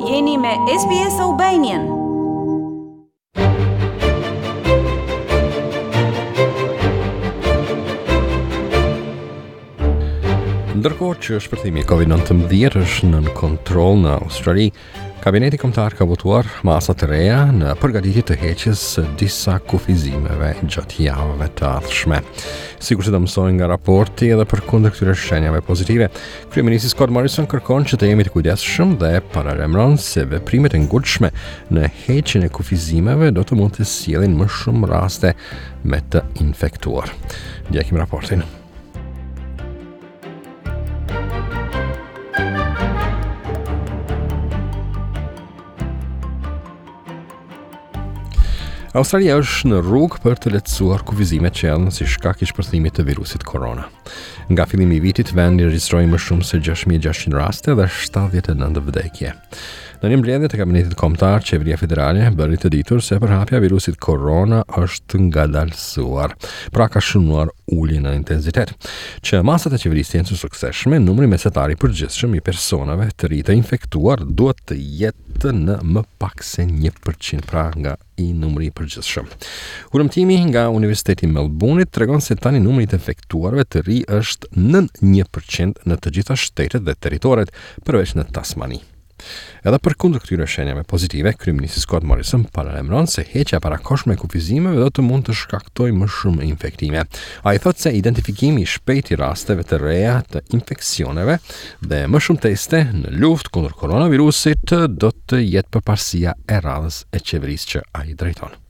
Jeni me SBS Albanian. Ndërkohë që shpërthimi i COVID-19 është nën kontroll në Australi, Kabineti Kombëtar ka votuar masa të reja në përgatitje të heqjes së disa kufizimeve gjatë javëve të ardhshme. Sikurse do mësoni nga raporti edhe përkundër këtyre shenjave pozitive, kryeministri Scott Morrison kërkon që të jemi të kujdesshëm dhe paralajmëron se veprimet e ngutshme në heqjen e kufizimeve do të mund të sjellin më shumë raste me të infektuar. Ndjekim raportin. Australia është në rrugë për të lehtësuar kufizimet që erdhën si shkak i shpërthimit të virusit korona. Nga fillimi i vitit, vendi regjistroi më shumë se 6600 raste dhe 79 vdekje. Në një mbledhje të kabinetit kombëtar, qeveria federale bëri të ditur se përhapja e virusit korona është ngadalësuar, pra ka shënuar ulje në intensitet. Që masat e qeverisë të jenë të suksesshme, numri mesatar i përgjithshëm i personave të ri të infektuar duhet të jetë në më pak se 1%, pra nga i numri i përgjithshëm. Hulumtimi nga Universiteti i Melbourne-it tregon se tani numri i të infektuarve të ri është nën 1% në të gjitha shtetet dhe territoret, përveç në Tasmani. Edhe përkundër këtyre shenjave pozitive, kryeministri Scott Morrison paralajmëron se heqja e parakohshme e kufizimeve do të mund të shkaktojë më shumë infektime. Ai thotë se identifikimi i shpejtë i rasteve të reja të infeksioneve dhe më shumë teste në luftë kundër koronavirusit do të jetë përparësia e radhës e qeverisë që ai drejton.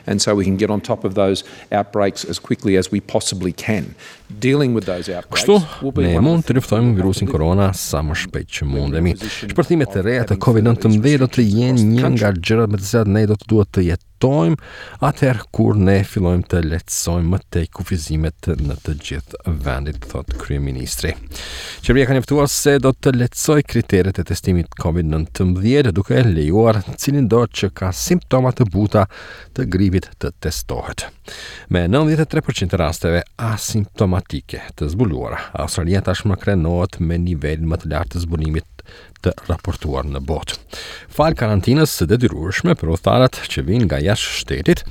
And so we can get on top of those outbreaks as quickly as we possibly can. Dealing with those outbreaks Kështu, ne mund të luftojmë virusin korona sa më shpejt që mundemi. Shpërthimet e reja të COVID-19 do të jenë një nga gjërat me të cilat ne do të duhet të jetojmë atëherë kur ne fillojmë të lehtësojmë më tej kufizimet në të gjithë vendit, thotë kryeministri. Qeveria ka njoftuar se do të lehtësojë kriteret e testimit COVID-19 duke lejuar cilindo që ka simptoma të buta të gripit të testohet. Me 93% të rasteve asimptomatike të zbuluara, Australia tashmë krenohet me nivelin më të lartë të zbulimit të raportuar në botë. Falë karantinës së detyrueshme për udhëtarët që vijnë nga jashtë shtetit,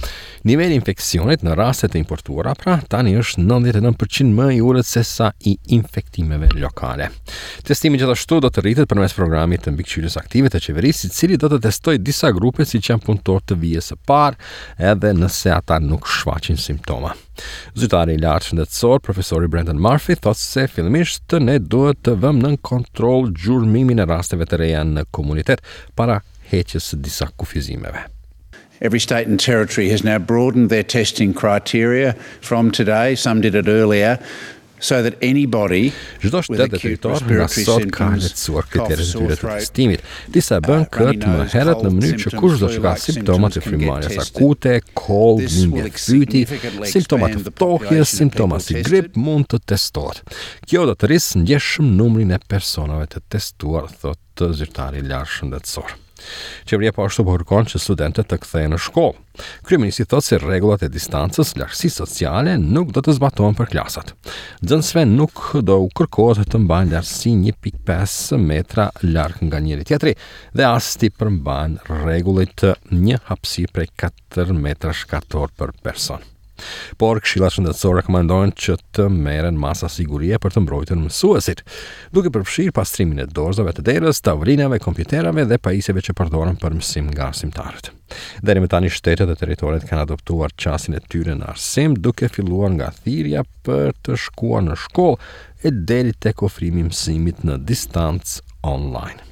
niveli i infeksionit në rastet e importuara pra tani është 99% më i ulët se sa i infektimeve lokale. Testimi gjithashtu do të rritet përmes programit të mbikëqyrjes aktive të qeverisë, i cili do të testojë disa grupe siç janë punëtorë të vijës së parë, edhe nëse ata nuk shfaqin simptoma. Zyrtari i lartë shëndetësor, profesori Brendan Murphy, thotë se fillimisht ne duhet të vëmë nën kontroll gjurmimin e rasteve të reja në komunitet para heqjes së disa kufizimeve. Every state and territory has now broadened their testing criteria from today. Some did it earlier so that anybody Çdo shtet dhe territor nga sot ka lehtësuar kriteret e tyre të testimit. Disa e bënë uh, këtë më herët në mënyrë që kushdo që ka simptoma të frymëmarrjes akute, kollë, dhimbje fyti, simptoma të ftohjes, simptoma si grip mund të testohet. Kjo do të rrisë ndjeshëm numrin e personave të testuar, thotë zyrtari i lartë shëndetësor. Qeveria po ashtu po kërkon që studentët të kthehen në shkollë. Kryeministri thotë se rregullat e distancës, largësisë sociale nuk do të zbatohen për klasat. Nxënësve nuk do u kërkohet të mbajnë largësi 1.5 metra larg nga njëri tjetri dhe as t'i përmbahen rregullit të një hapësirë prej 4 metrash katror për person. Por këshillat shëndetësore rekomandojnë që të merren masa sigurie për të mbrojtur mësuesit, duke përfshirë pastrimin e dorëzave të derës, tavolinave, kompjuterave dhe pajisjeve që përdoren për mësim nga arsimtarët. Deri më tani shtetet dhe territoret kanë adoptuar qasjen e tyre në arsim, duke filluar nga thirrja për të shkuar në shkollë e deri tek ofrimi i mësimit në distancë online.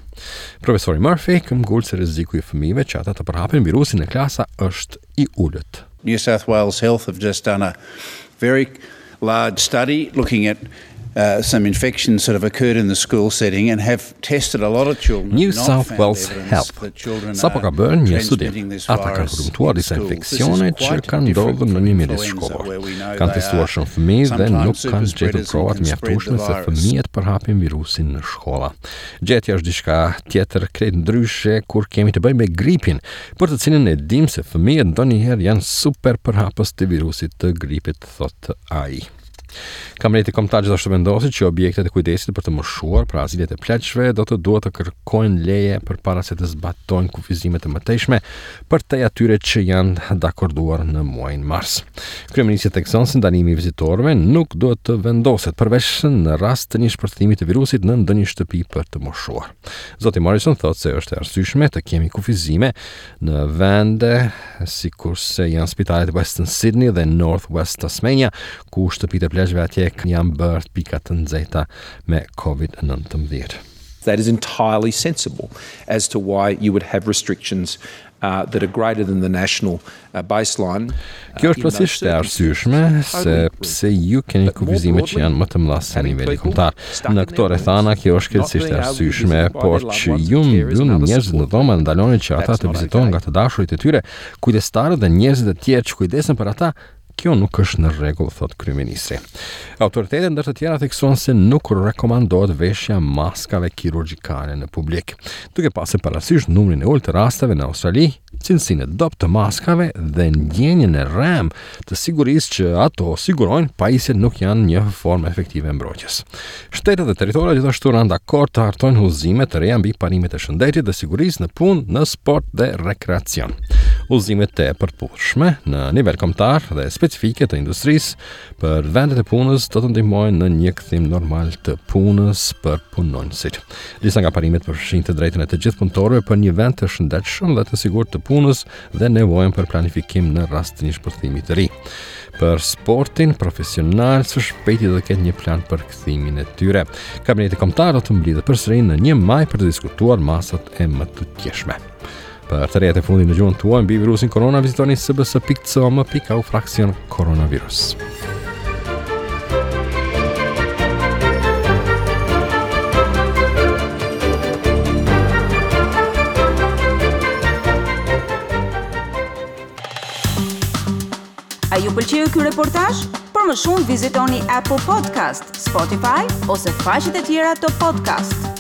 Profesori Murphy këmbgul se rreziku i fëmijëve që ata të përhapin virusin në klasa është i ulët. New South Wales Health have just done a very large study looking at uh, some infections that have occurred in the school setting and have tested a lot of children. New South Wales Health sapo ka bërë një studim. Ata kanë hulumtuar disa infeksione që kanë ndodhur në një mjedis shkollor. Kanë testuar shumë fëmijë dhe nuk kanë gjetur prova të mjaftueshme se fëmijët përhapin virusin në shkolla. Gjetja është diçka tjetër krejt ndryshe kur kemi të bëjmë me gripin, për të cilin e dimë se fëmijët ndonjëherë janë super përhapës të virusit të gripit, thotë ai. Kabineti Kombëtar gjithashtu vendosi që objektet e kujdesit për të moshuar, pra azilet e pleqve, do të duhet të kërkojnë leje përpara se të zbatojnë kufizime të mëtejshme përtej atyre që janë dakorduar në muajin mars. Kryeministri thekson se ndalimi i vizitorëve nuk duhet të vendoset përveç në rast të një shpërthimi të virusit në ndonjë shtëpi për të moshuar. Zoti Morrison thotë se është e arsyeshme të kemi kufizime në vende sikurse janë spitalet Western Sydney dhe North West Tasmania, ku shtëpitë e pleqve atje janë bërë pika të nxehta me COVID-19. That is entirely sensible as to why you would have restrictions uh, that are greater than the national uh, baseline. Uh, Kjo është plotësisht e arsyeshme se pse ju keni kufizime që janë më të mëdha se niveli kombëtar. Në këto rrethana kjo është krejtësisht e arsyeshme, por që ju mbyllni njerëzit në dhoma ndaloni që ata të vizitohen nga të dashurit e tyre, kujdestarët dhe njerëzit e tjerë që kujdesen për ata, Kjo nuk është në rregull, thotë kryeministri. Autoritetet ndër të tjera theksuan se nuk rekomandohet veshja e maskave kirurgjikale në publik. Duke pasur parasysh numrin e ulët të rasteve në Australi, cilësinë e dobët të maskave dhe ndjenjën e rremë të sigurisë që ato sigurojnë, pajisjet nuk janë një formë efektive e mbrojtjes. Shtetet dhe territoret gjithashtu ranë dakord të hartojnë udhëzime të reja mbi parimet e shëndetit dhe sigurisë në punë, në sport dhe rekreacion. Udhëzimet e përputhshme në nivel kombëtar dhe specifike të industrisë për vendet e punës do të ndihmojnë në një kthim normal të punës për punonjësit. Disa nga parimet përfshijnë të drejtën e të gjithë punëtorëve për një vend të shëndetshëm dhe të sigurt të punës dhe nevojën për planifikim në rast të një shpërthimi të ri. Për sportin profesional së shpejti do të ketë një plan për kthimin e tyre. Kabineti Kombëtar do të mblidhet përsëri në 1 maj për të diskutuar masat e mëtutjeshme. Për të rejat e fundit në gjuhën tuaj mbi virusin korona, vizitoni sbs.com.au fraksion koronavirus. A ju pëlqeu ky reportazh? Për më shumë vizitoni Apple Podcast, Spotify ose faqet e tjera të podcast.